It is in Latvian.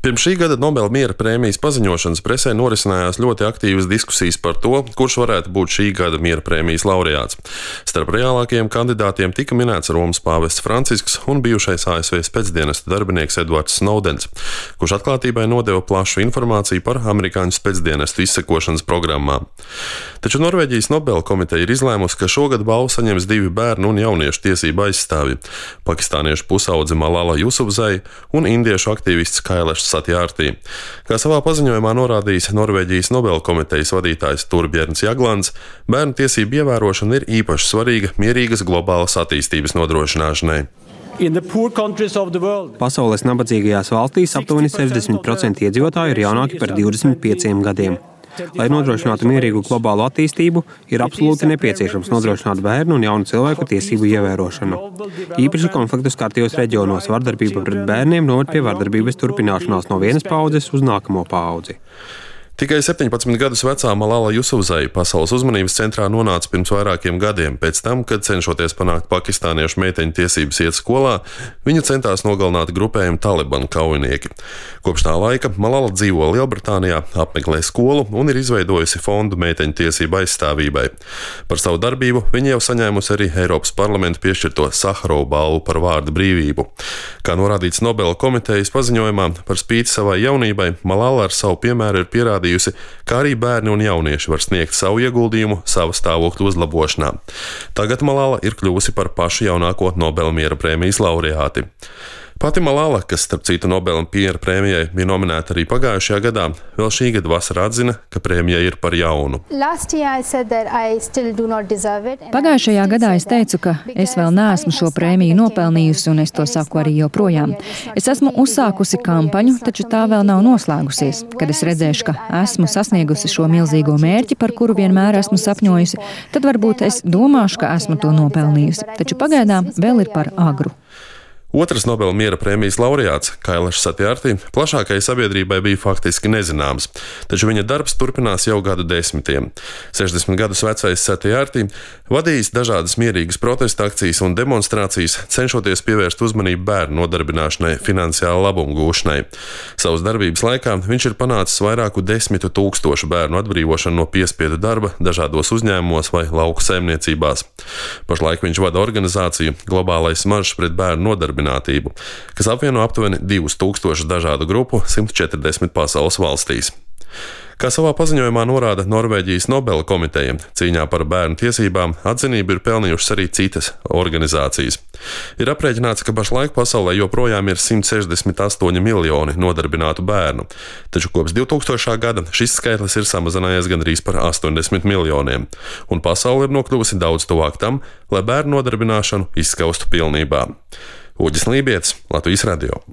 Pirms šī gada Nobela miera prēmijas paziņošanas presē norisinājās ļoti aktīvas diskusijas par to, kurš varētu būt šī gada miera prēmijas laureāts. Starp reālākajiem kandidātiem tika minēts Romas pāvests Francisks un bijušais ASV spēcdienesta darbinieks Edvards Snowdens, kurš atklātībai nodeva plašu informāciju par amerikāņu spēcdienestu izsekošanas programmām. Taču Norvēģijas Nobela komiteja ir izlēmusi, ka šogad balvu saņems divi bērnu un jauniešu tiesību aizstāvji - pakistāniešu pusaudze Malala Jusufzai un indiešu aktīvists Kailašs Satjārtī. Kā savā paziņojumā norādījis Norvēģijas Nobela komitejas vadītājs Torbjørns Jaglands, bērnu tiesību ievērošana ir īpaši svarīga mierīgas globālas attīstības nodrošināšanai. Pasaules nabadzīgajās valstīs aptuveni 60% iedzīvotāju ir jaunāki par 25 gadiem. Lai nodrošinātu mierīgu globālu attīstību, ir absolūti nepieciešams nodrošināt bērnu un jaunu cilvēku tiesību ievērošanu. Īpaši konfliktu skartajos reģionos vardarbība pret bērniem noved pie vardarbības turpināšanās no vienas paaudzes uz nākamo paudzi. Tikai 17 gadus vecā Malala Jusufzai pasaules uzmanības centrā nonāca pirms vairākiem gadiem, pēc tam, kad cenšoties panākt pakistāniešu meiteņu tiesības iet skolā, viņu centās nogalināt grupējumu Taliban kaujinieki. Kopš tā laika Malala dzīvo Lielbritānijā, apmeklē skolu un ir izveidojusi fondu meiteņu tiesību aizstāvībai. Par savu darbību viņa jau saņēmusi arī Eiropas parlamenta piešķirto Saharova balvu par vārda brīvību. Kā norādīts Nobela komitejas paziņojumā, par spīti savai jaunībai, Malala ar savu piemēru ir pierādījusi, kā arī bērni un jaunieši var sniegt savu ieguldījumu sava stāvokļa uzlabošanā. Tagad Malala ir kļuvusi par pašu jaunāko Nobela miera prēmijas laureāti. Pati Malala, kas starp citu Nobela miera prēmijai bija nominēta arī pagājušajā gadā, vēl šī gada vasarā atzina, ka prēmija ir par jaunu. Pagājušajā gadā es teicu, ka es vēl neesmu šo prēmiju nopelnījusi, un es to saku arī joprojām. Es esmu uzsākusi kampaņu, taču tā vēl nav noslēgusies. Kad es redzēšu, ka esmu sasniegusi šo milzīgo mērķi, par kuru vienmēr esmu sapņojusi, tad varbūt es domāšu, ka esmu to nopelnījusi. Taču pagaidām vēl ir par agru. Otrs Nobela miera prēmijas laureāts, Kailašs Satjārtī, plašākai sabiedrībai bija faktiski nezināms, taču viņa darbs turpinās jau gadu desmitiem. 60 gadus vecais Satjārtī vadījis dažādas mierīgas protesta akcijas un demonstrācijas, cenšoties pievērst uzmanību bērnu nodarbināšanai, finansiāla labuma gūšanai. Savas darbības laikā viņš ir panācis vairāku 10 000 bērnu atbrīvošanu no piespiedu darba dažādos uzņēmumos vai lauku saimniecībās. Pašlaik viņš vada organizāciju Globālais maršs pret bērnu nodarbinātību, kas apvieno aptuveni 2000 dažādu grupu 140 pasaules valstīs. Kā savā paziņojumā norāda Norvēģijas Nobela komiteja, cīņā par bērnu tiesībām atzinību ir pelnījušas arī citas organizācijas. Ir aprēķināts, ka pašlaik pasaulē joprojām ir 168 miljoni nodarbinātu bērnu, taču kopš 2000. gada šis skaitlis ir samazinājies gandrīz par 80 miljoniem, un pasaule ir nokļuvusi daudz tuvāk tam, lai bērnu nodarbināšanu izskaustu pilnībā. Uģis Lībietis, Latvijas radio.